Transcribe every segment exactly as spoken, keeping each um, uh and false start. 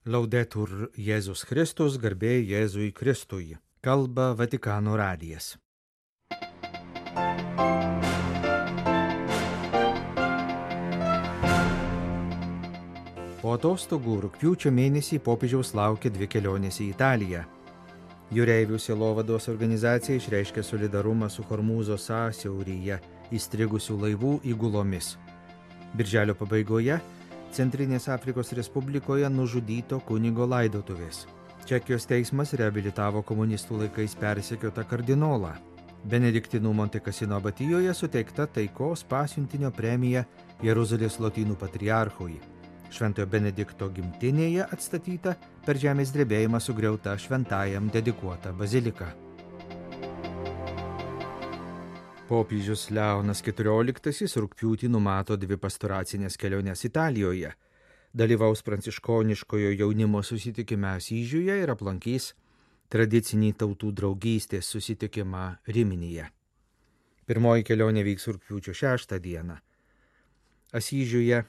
Laudetur Jėzus Kristus, garbė Jėzui Kristui. Kalba Vatikano radijas. Po atostogų rugpjūčio mėnesį popiežiaus laukia dvi kelionės į Italiją. Jūreivių sielovados organizacija išreiškė solidarumą su Hormūzo sąsiauryje įstrigusių laivų įgulomis. Birželio pabaigoje Centrinės Afrikos Respublikoje nužudyto kunigo laidotuvės. Čekijos teismas reabilitavo komunistų laikais persekiotą kardinolą. Benediktinų Monte Cassino abatijoje suteikta taikos pasiuntinio premija Jeruzalės lotynų patriarchui. Šventojo Benedikto gimtinėje atstatyta per žemės drebėjimą sugriauta šventajam dedikuota bazilika. Popiežius Leonas keturioliktasis rugpjūtį numato dvi pastoracinės keliones Italijoje. Dalyvaus pranciškoniškojo jaunimo susitikime Asyžiuje ir aplankys tradicinį tautų draugystės susitikimą Riminėje. Pirmoji kelionė vyks rugpjūčio šeštą dieną. Asyžiuje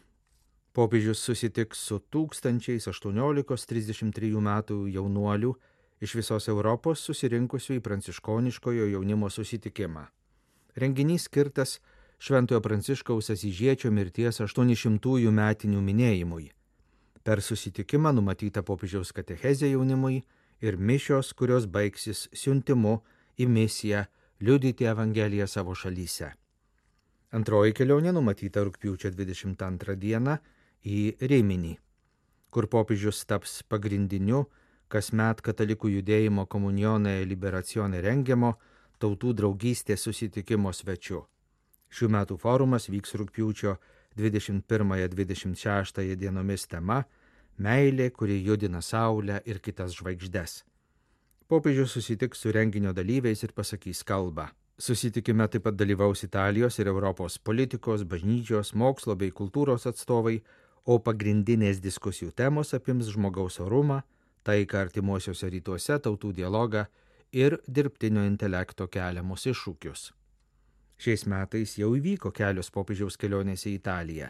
popiežius susitiks su tūkstančiais aštuoniolikos trisdešimt trijų metų jaunuolių iš visos Europos susirinkusių į pranciškoniškojo jaunimo susitikimą. Renginys skirtas Šventojo Pranciškaus Asyžiečio mirties aštuonišimtųjų metinių minėjimui. Per susitikimą numatyta popiežiaus katechezė jaunimui ir mišios, kurios baigsis siuntimu į misiją liudyti Evangeliją savo šalyse. Antroji kelionė numatyta rugpjūčio dvidešimt antrą dieną į Riminį, kur popiežius taps pagrindiniu kasmet katalikų judėjimo Komunione Liberazione rengiamo tautų draugystės susitikimo svečiu. Šių metų forumas vyks rugpjūčio dvidešimt pirmąją dvidešimt šeštąją dienomis tema Meilė, kuri judina saulę ir kitas žvaigždes. Popiežius susitiks su renginio dalyviais ir pasakys kalbą. Susitikime taip pat dalyvaus Italijos ir Europos politikos, bažnyčios, mokslo bei kultūros atstovai, o pagrindinės diskusijų temos apims žmogaus orumą, taiką artimuosiuose rytuose, tautų dialogą ir dirbtinio intelekto keliamus iššūkius. Šiais metais jau įvyko kelios popiežiaus kelionės į Italiją.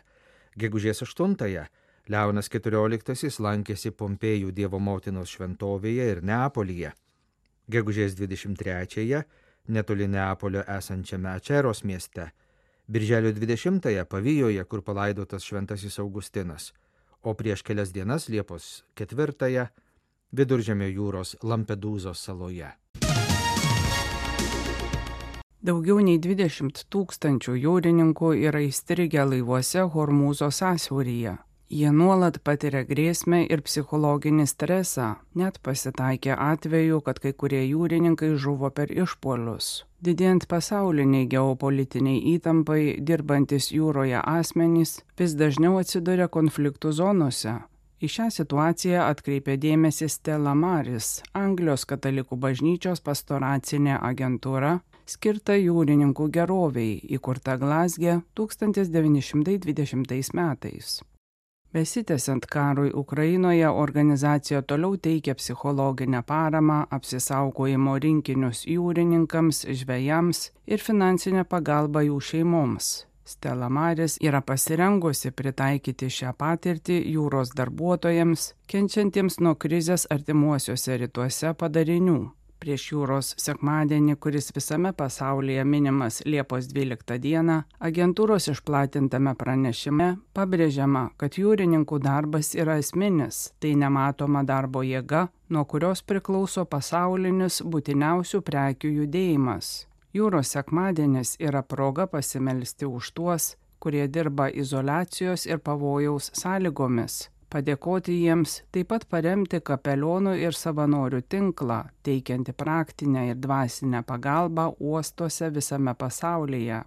Gegužės aštuntąją Leonas keturioliktasis lankėsi Pompėjų Dievo motinos šventovėje ir Neapolyje. Gegužės dvidešimt trečiąją netoli Neapolio esančiame Ačeros mieste. Birželio dvidešimtąją Pavijoje, kur palaidotas šventasis Augustinas. O prieš kelias dienas Liepos ketvirtąją Viduržemio jūros Lampedūzos saloje. Daugiau nei dvidešimt tūkstančių jūrininkų yra įstrigę laivuose Hormūzo sąsiauryje. Jie nuolat patiria grėsmę ir psichologinį stresą. Net pasitaikė atveju, kad kai kurie jūrininkai žuvo per išpuolius. Didėjant pasauliniai geopolitiniai įtampai, dirbantis jūroje asmenys vis dažniau atsiduria konfliktų zonose. Į šią situaciją atkreipė dėmesį Stella Maris, Anglijos katalikų bažnyčios pastoracinė agentūra, skirta jūrininkų geroviai, įkurta Glazge tūkstantis devyni šimtai dvidešimtais metais. Besitęsiant karui Ukrainoje, organizacija toliau teikia psichologinę paramą, apsisaugojimo rinkinius jūrininkams, žvejams ir finansinę pagalbą jų šeimoms. Stella Maris yra pasirengusi pritaikyti šią patirtį jūros darbuotojams, kenčiantiems nuo krizės artimuosiuose rytuose padarinių. Prieš jūros sekmadienį, kuris visame pasaulyje minimas Liepos dvyliktą dieną, agentūros išplatintame pranešime pabrėžiama, kad jūrininkų darbas yra esminis, tai nematoma darbo jėga, nuo kurios priklauso pasaulinis būtiniausių prekių judėjimas. Jūros sekmadienis yra proga pasimelsti už tuos, kurie dirba izoliacijos ir pavojaus sąlygomis. Padėkoti jiems, taip pat paremti kapelionų ir savanorių tinklą, teikianti praktinę ir dvasinę pagalbą uostuose visame pasaulyje.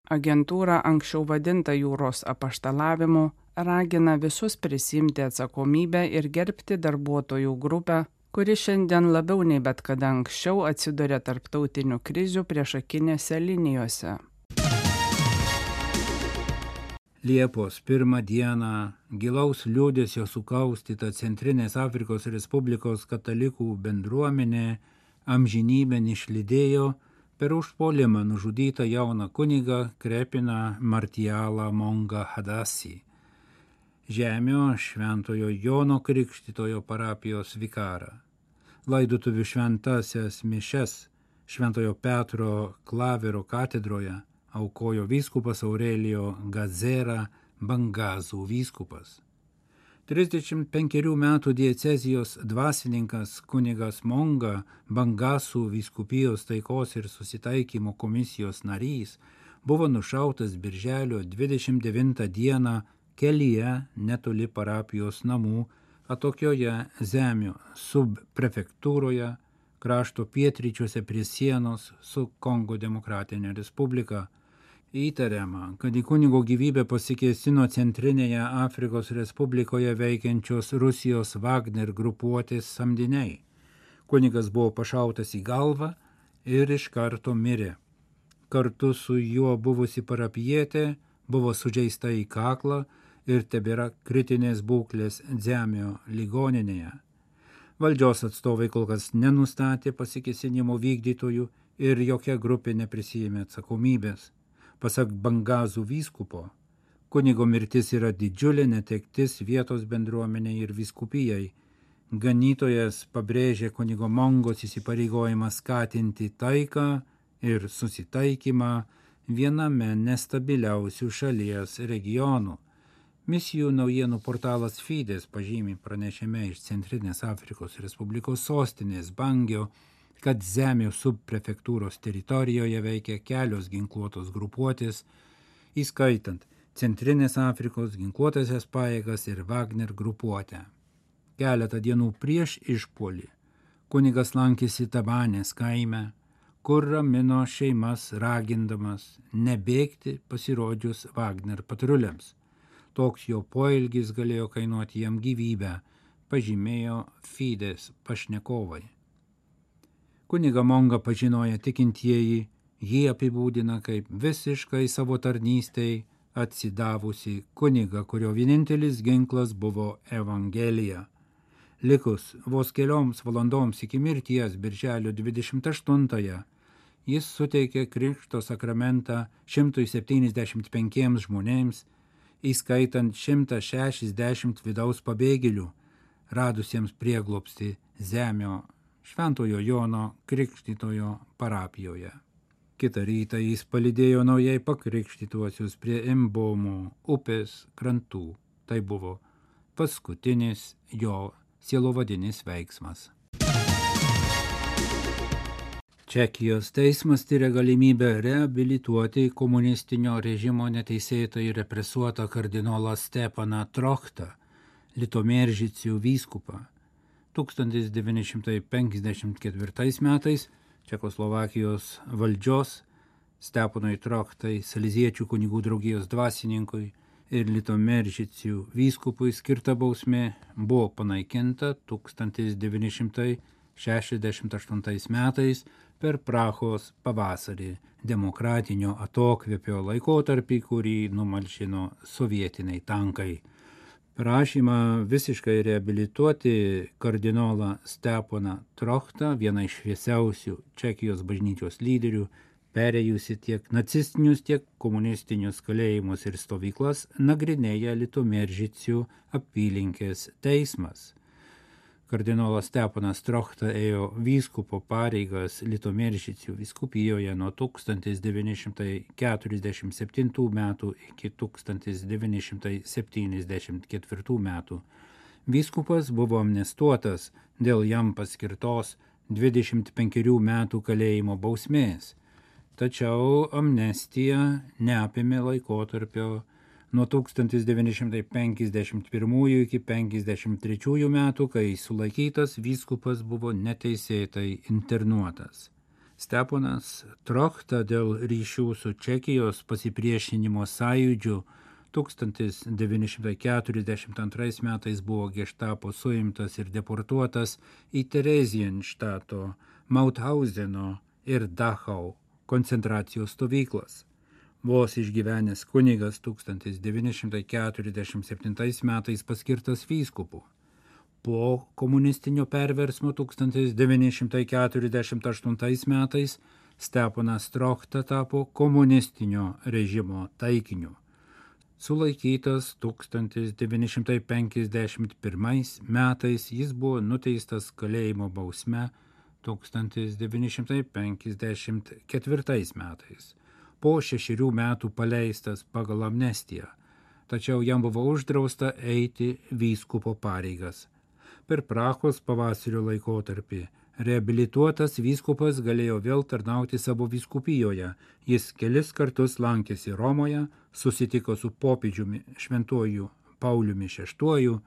Agentūra, anksčiau vadinta jūros apaštalavimu, ragina visus prisiimti atsakomybę ir gerbti darbuotojų grupę, kuri šiandien labiau nei bet kada anksčiau atsiduria tarptautinių krizių priešakinėse linijose. Liepos pirmą dieną gilaus liūdesio sukaustyta Centrinės Afrikos Respublikos katalikų bendruomenė amžinybėn išlydėjo per užpuolimą nužudytą jauną kunigą Krepiną Martialą Monga Hadasį. Žemio Šventojo Jono Krikštytojo parapijos vikarą. Laidotuvių šventasias mišes Šventojo Petro Klavero katedroje aukojo vyskupas Aurelijo Gazera Bangazų vyskupas. trisdešimt penkerių metų diecezijos dvasininkas kunigas Monga, Bangazų vyskupijos taikos ir susitaikymo komisijos narys, buvo nušautas birželio dvidešimt devintą dieną kelyje netoli parapijos namų atokioje Zemio subprefektūroje, krašto pietryčiuose prie sienos su Kongo Demokratinė Respublika. Įtariama, kad į kunigo gyvybę pasikėsino Centrinėje Afrikos Respublikoje veikiančios Rusijos Wagner grupuotės samdiniai. Kunigas buvo pašautas į galvą ir iš karto mirė. Kartu su juo buvusi parapijietė buvo sužeista į kaklą ir tebėra kritinės būklės Zemio ligoninėje. Valdžios atstovai kol kas nenustatė pasikėsinimo vykdytojų ir jokia grupė neprisijėmė atsakomybės. Pasak Bangazų vyskupo, kunigo mirtis yra didžiulė netektis vietos bendruomeniai ir vyskupijai. Ganytojas pabrėžė kunigo Mongos įsipareigojimą skatinti taiką ir susitaikymą viename nestabiliausių šalies regionų. Misijų naujienų portalas Fides pažymi pranešime iš Centrinės Afrikos Respublikos sostinės Bangio, kad Zemio subprefektūros teritorijoje veikia kelios ginkluotos grupuotės, įskaitant Centrinės Afrikos ginkluotasias pajėgas ir Wagner grupuotę. Keletą dienų prieš išpuolį kunigas lankėsi Tabanės kaime, kur ramino šeimas ragindamas nebėgti pasirodžius Wagner patruliams. Toks jo poelgis galėjo kainuoti jam gyvybę, pažymėjo Fides pašnekovai. Kuniga Monga pažinoja tikintieji, jį apibūdina kaip visiškai savo tarnystei atsidavusi kunigą, kurio vienintelis ginklas buvo Evangelija. Likus vos kelioms valandoms iki mirties birželio dvidešimt aštuntąją, jis suteikė krikšto sakramentą šimtui septyniasdešimt penkiems žmonėms, įskaitant šimtą šešiasdešimt vidaus pabėgėlių, radusiems prieglobstį Zemio Šventojo Jono Krikštytojo parapijoje. Kitą rytą jis palydėjo naujai pakrikštytuosius prie Imbomo upės krantų. Tai buvo paskutinis jo sielovadinis veiksmas. Čekijos teismas tyria galimybę reabilituoti komunistinio režimo neteisėtai represuotą kardinolą Stepaną Trochtą, Litomeržicių vyskupą. tūkstantis devyni šimtai penkiasdešimt ketvirtais metais Čekoslovakijos valdžios Stepanui Trochtai, Saleziečių kunigų draugijos dvasininkui ir Litomeržicių vyskupui skirta bausmė buvo panaikinta tūkstantis devyni šimtai šešiasdešimt aštuntais metais per Prahos pavasarį, demokratinio atokvėpio laikotarpį, kurį numalšino sovietiniai tankai. Prašymą visiškai reabilituoti kardinolą Stepaną Trochtą, vieną iš šviesiausių Čekijos bažnyčios lyderių, perėjusi tiek nacistinius, tiek komunistinius kalėjimus ir stovyklas, nagrinėja Litomeržicių apylinkės teismas. Kardinolas Stepanas Trochta ėjo vyskupo pareigas Litomeržicių vyskupijoje nuo tūkstantis devyni šimtai keturiasdešimt septintų metų iki tūkstantis devyni šimtai septyniasdešimt ketvirtų metų. Vyskupas buvo amnestuotas dėl jam paskirtos dvidešimt penkerių metų kalėjimo bausmės, tačiau amnestija neapėmė laikotarpio nuo tūkstantis devyni šimtai penkiasdešimt pirmųjų iki penkiasdešimt trečiųjų metų, kai sulaikytas vyskupas buvo neteisėtai internuotas. Stepanas Trochta dėl ryšių su Čekijos pasipriešinimo sąjūdžiu tūkstantis devyni šimtai keturiasdešimt antrais metais buvo geštapo suimtas ir deportuotas į Terezienštato, Mauthauseno ir Dachau koncentracijos stovyklas. Vos išgyvenęs kunigas tūkstantis devyni šimtai keturiasdešimt septintais metais paskirtas vyskupu. Po komunistinio perversmo tūkstantis devyni šimtai keturiasdešimt aštuntais metais Stepanas Trochta tapo komunistinio režimo taikiniu. Sulaikytas tūkstantis devyni šimtai penkiasdešimt pirmais metais, jis buvo nuteistas kalėjimo bausme tūkstantis devyni šimtai penkiasdešimt ketvirtais metais. Po šešerių metų paleistas pagal amnestiją, tačiau jam buvo uždrausta eiti vyskupo pareigas. Per Prahos pavasario laikotarpį reabilituotas vyskupas galėjo vėl tarnauti savo vyskupijoje. Jis kelis kartus lankėsi Romoje, susitiko su popiežiumi šventuoju Pauliumi šeštuoju,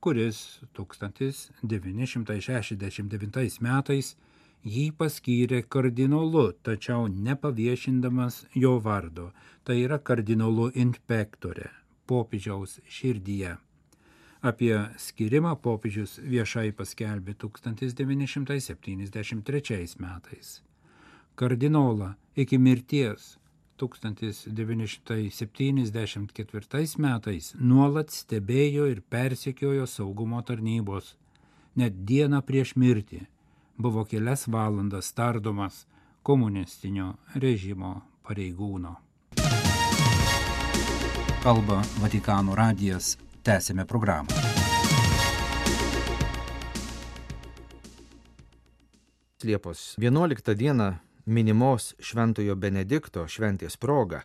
kuris tūkstantis devyni šimtai šešiasdešimt devintais metais jį paskyrė kardinolu, tačiau nepaviešindamas jo vardo, tai yra kardinolu inspektore, popiežiaus širdyje. Apie skirimą popiežius viešai paskelbė tūkstantis devyni šimtai septyniasdešimt trečiais metais. Kardinolą iki mirties tūkstantis devyni šimtai septyniasdešimt ketvirtais metais nuolat stebėjo ir persekiojo saugumo tarnybos. Net dieną prieš mirtį buvo kelias valandas tardomas komunistinio režimo pareigūno. Kalba Vatikano radijas. Tęsime programą. Liepos vienuoliktą dieną minimos Šventojo Benedikto šventės proga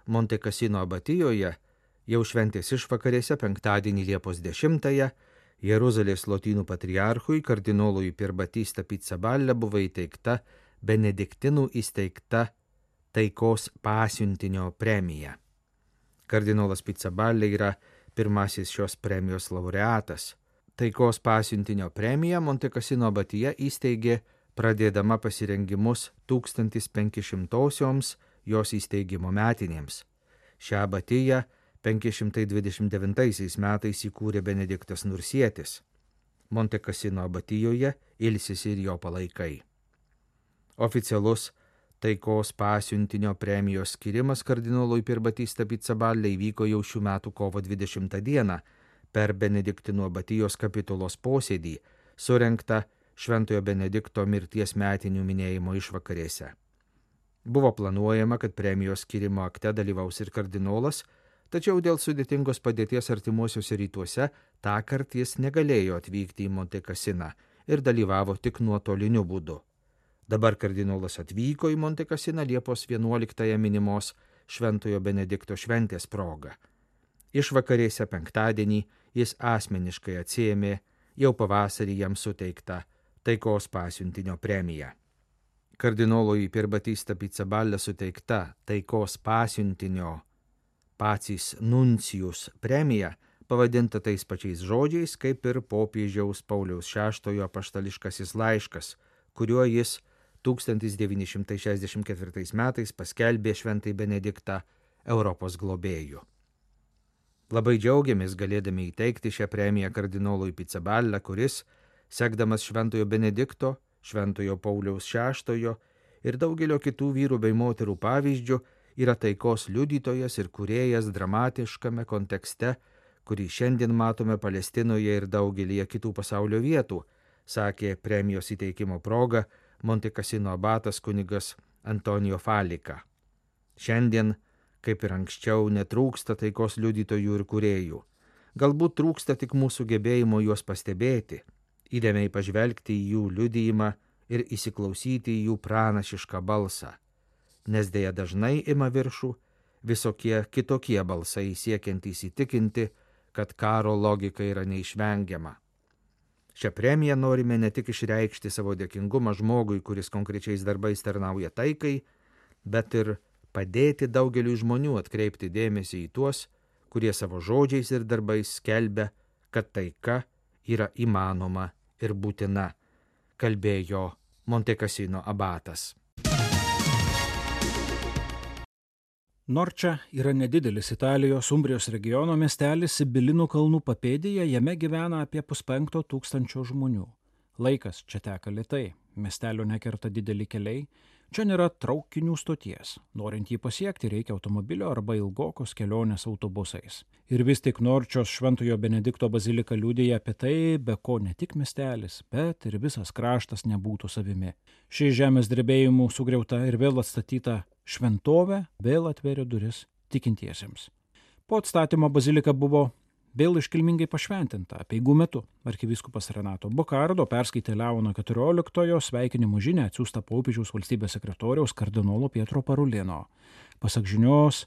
Monte Cassino abatijoje jau šventės išvakarėse penktadienį Liepos dešimtąją Jeruzalės lotynų patriarchui kardinolui Pier Battista Pizzaballa buvo įteikta benediktinų įsteigta taikos pasiuntinio premija. Kardinolas Pizzaballa yra pirmasis šios premijos laureatas. Taikos pasiuntinio premiją Monte Cassino abatija įsteigė pradėdama pasirengimus tūkstantis penkišimtosioms jos įsteigimo metinėms. Šią abatiją penki šimtai dvidešimt devintaisiais metais įkūrė Benediktas Nursietis. Monte Cassino abatijoje ilsisi ir jo palaikai. Oficialus taikos pasiuntinio premijos skirimas kardinolui Pier Battista Pizzaballa įvyko jau šių metų kovo dvidešimtą dieną per Benediktinų abatijos kapitulos posėdį, surengtą Šventojo Benedikto mirties metinių minėjimo išvakarėse. Buvo planuojama, kad premijos skirimo akte dalyvaus ir kardinolas, tačiau dėl sudėtingos padėties artimuosiuose rytuose tąkart jis negalėjo atvykti į Monte Cassiną ir dalyvavo tik nuotoliniu būdu. Dabar kardinolas atvyko į Monte Cassiną Liepos vienuoliktąją minimos Šventojo Benedikto šventės proga. Išvakarėse penktadienį jis asmeniškai atsiėmė jau pavasarį jam suteiktą taikos pasiuntinio premiją. Kardinolui Pier Battista Pizzaballa suteikta taikos pasiuntinio Pacis Nuncijus premija pavadinta tais pačiais žodžiais kaip ir popiežiaus Pauliaus šeštojo apaštališkasis laiškas, kuriuo jis tūkstantis devyni šimtai šešiasdešimt ketvirtais metais paskelbė Šventąjį Benediktą Europos globėju. Labai džiaugiamės galėdami įteikti šią premiją kardinolui Pizzaballa, kuris, sekdamas Šventojo Benedikto, Šventojo Pauliaus šeštojo ir daugelio kitų vyrų bei moterų pavyzdžių, yra taikos liudytojas ir kūrėjas dramatiškame kontekste, kurį šiandien matome Palestinoje ir daugelyje kitų pasaulio vietų, sakė premijos įteikimo proga Monte Cassino abatas kunigas Antonijo Falika. Šiandien, kaip ir anksčiau, netrūksta taikos liudytojų ir kūrėjų. Galbūt trūksta tik mūsų gebėjimo juos pastebėti, įdėmiai pažvelgti į jų liudijimą ir įsiklausyti į jų pranašišką balsą, nes dėja dažnai ima viršų visokie kitokie balsai siekiantys įtikinti, kad karo logika yra neišvengiama. Šią premiją norime ne tik išreikšti savo dėkingumą žmogui, kuris konkrečiais darbais tarnauja taikai, bet ir padėti daugeliu žmonių atkreipti dėmesį į tuos, kurie savo žodžiais ir darbais skelbia, kad taika yra įmanoma ir būtina, kalbėjo Monte Cassino abatas. Norča yra nedidelis Italijos Umbrijos regiono miestelis Sibilinų kalnų papėdėje, jame gyvena apie puspenkto tūkstančio žmonių. Laikas čia teka lėtai, miestelio nekerta dideli keliai, čia nėra traukinių stoties. Norint jį pasiekti, reikia automobilio arba ilgokos kelionės autobusais. Ir vis tik Norčios Šventojo Benedikto bazilika liudija apie tai, be ko ne tik miestelis, bet ir visas kraštas nebūtų savimi. Ši žemės drebėjimų sugriauta ir vėl atstatyta šventovė vėl atvėrė duris tikintiesiems. Po atstatymo bazilika buvo vėl iškilmingai pašventinta apeigų metu. Arkivyskupas Renato Bokardo perskaitė Leono keturioliktojo sveikinimo žinią atsiųstą popiežiaus valstybės sekretoriaus kardinolo Pietro Parulino. Pasak žinios,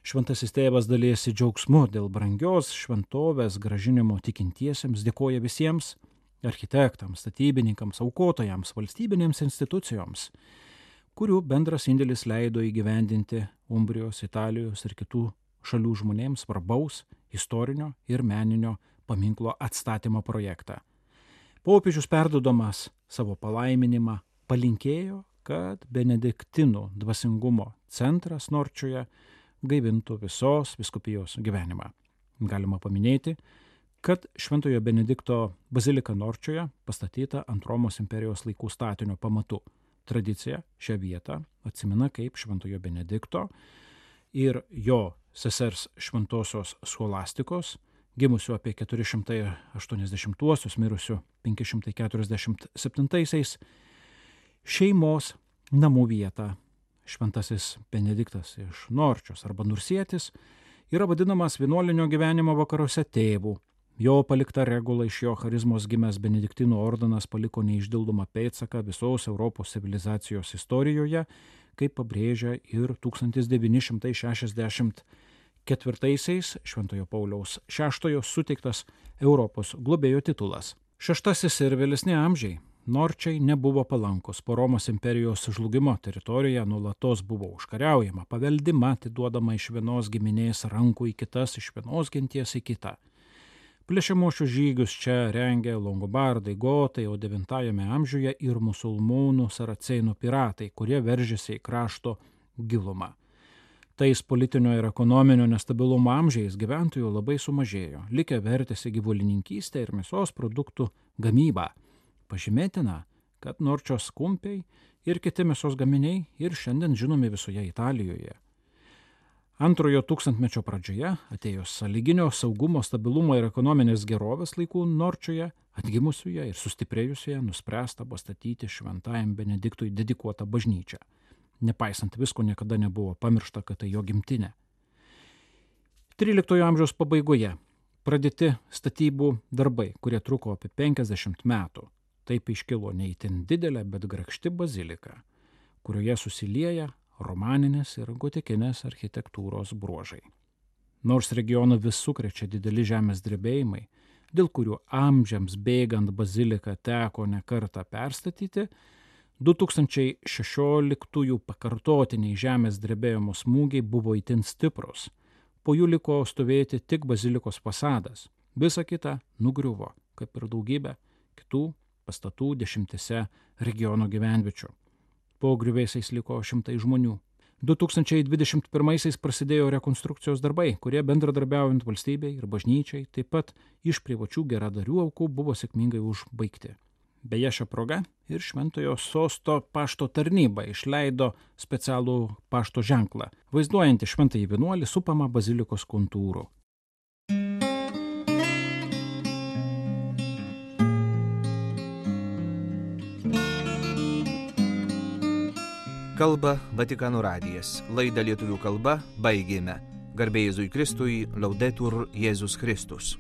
šventasis tėvas dalijasi džiaugsmu dėl brangios šventovės grąžinimo tikintiesiems, dėkoja visiems architektams, statybininkams, aukotojams, valstybinėms institucijoms, kurių bendras indėlis leido įgyvendinti Umbrijos, Italijos ir kitų šalių žmonėms svarbaus istorinio ir meninio paminklo atstatymo projektą. Popiežius perduodamas savo palaiminimą palinkėjo, kad benediktinų dvasingumo centras Norčioje gaivintų visos vyskupijos gyvenimą. Galima paminėti, kad Šventojo Benedikto bazilika Norčioje pastatyta ant Romos imperijos laikų statinio pamatų. Tradicija šią vietą atsimena kaip Šventojo Benedikto ir jo sesers šventosios Scholastikos, gimusių apie keturi šimtai aštuoniasdešimtuosius, mirusių penki šimtai keturiasdešimt septintaisiais, šeimos namų vietą. Šventasis Benediktas iš Norčios arba Nursietis yra vadinamas vienuolinio gyvenimo vakaruose tėvu. Jo palikta regula iš jo charizmos gimęs Benediktinų ordinas paliko neišdildomą pėdsaką visos Europos civilizacijos istorijoje, kaip pabrėžia ir tūkstantis devyni šimtai šešiasdešimt ketvirtaisiais Šventojo Pauliaus šeštojo suteiktas Europos globėjo titulas. Šeštasis ir vėlesni amžiai Norčiai nebuvo palankus. Po Romos imperijos žlugimo teritorija nuolatos buvo užkariaujama, paveldima, atiduodama iš vienos giminės rankų į kitas, iš vienos genties į kitą. Plėšiamuosius žygius čia rengė longobardai, gotai, o devintajame amžiuje ir musulmonų saracėnų piratai, kurie veržėsi į krašto gilumą. Tais politinio ir ekonominio nestabilumo amžiais gyventojų labai sumažėjo, likę vertėsi gyvulininkystę ir mėsos produktų gamybą. Pažymėtina, kad Norčios kumpiai ir kiti mėsos gaminiai ir šiandien žinomi visoje Italijoje. Antrojo tūkstantmečio pradžioje, atėjus sąlyginio saugumo, stabilumo ir ekonominės gerovės laikų Norčioje, atgimusioje ir sustiprėjusioje, nuspręsta pastatyti Šventajam Benediktui dedikuotą bažnyčią. Nepaisant visko, niekada nebuvo pamiršta, kad tai jo gimtinė. tryliktojo amžiaus pabaigoje pradėti statybų darbai, kurie truko apie penkiasdešimt metų. Taip iškilo ne itin didelė, bet grakšti bazilika, kurioje susilieja romaninės ir gotikinės architektūros bruožai. Nors regioną vis sukrečia dideli žemės drebėjimai, dėl kurių amžiams bėgant baziliką teko ne kartą perstatyti, du tūkstančiai šešioliktųjų pakartotiniai žemės drebėjimo smūgiai buvo itin stiprus. Po jų liko stovėti tik bazilikos fasadas. Visa kita nugriuvo, kaip ir daugybė kitų pastatų dešimtise regiono gyvenviečių. Po griuvėsiais liko šimtai žmonių. du tūkstančiai dvidešimt pirmaisiais prasidėjo rekonstrukcijos darbai, kurie bendradarbiaujant valstybei ir bažnyčiai, taip pat iš privačių geradarių aukų buvo sėkmingai užbaigti. Beje, šią progą ir Šventojo sosto pašto tarnyba išleido specialų pašto ženklą, vaizduojantį šventąjį vienuolį supamą bazilikos kontūrų. Kalba Vatikano radijas. Laidą lietuvių kalba baigėme. Garbė Jėzui Kristui, Laudetur Jėzus Kristus.